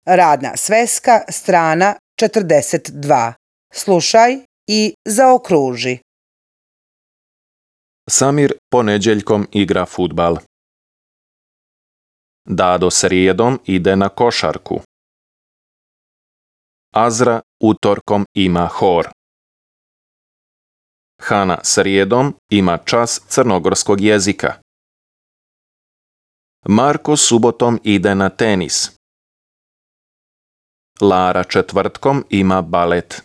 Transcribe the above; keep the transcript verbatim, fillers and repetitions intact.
Radna sveska, strana četrdeset dva. Slušaj i zaokruži. Samir ponedjeljkom igra fudbal. Dado srijedom ide na košarku. Azra utorkom ima hor. Hana srijedom ima čas crnogorskog jezika. Marko subotom ide na tenis. Lara četvrtkom ima balet.